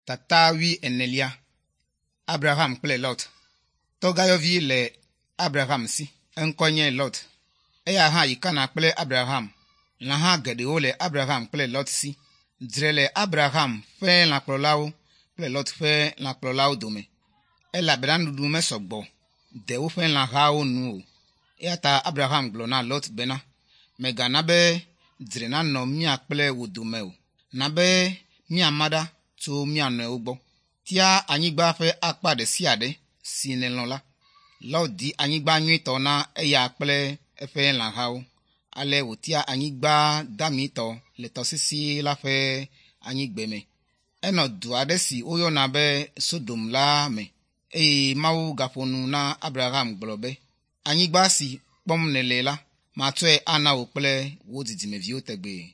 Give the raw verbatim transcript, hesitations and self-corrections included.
Tata wuienelia. Abraham kple Lot. Tɔgãyɔvi le Abraham si. Eŋkɔe nye Lot. Eya hã yi Kana kple Abraham. Lãha geɖewo le Abraham kple Lot si. Dzre le Abraham ƒe lãkplɔlawo kple Lot ƒe lãkplɔlawo dome elabena nuɖuɖu mesɔ gbɔ de woƒe lãhawo nu o. Eya ta Abraham gblɔ na Lot bena, mègana be dzre nanɔ mía kple wò dome o. Na be míama ɖa tso mía nɔewo gbɔ. Tia anyigba ƒe akpa ɖe sia ɖe si nèlɔ̃ la. Lot di anyigba nyuitɔ na eya kple eƒe lãhawo. Ale wòtia anyigba damitɔ le tɔsisi la ƒe anyigbeme. Enɔ du aɖe si woyɔna be Sodom la me eye Mawu gaƒo nu na Abraham gblɔ be, anyigba si kpɔm nèle la, matsɔe ana wò kple wò dzidzimeviwo tegbee.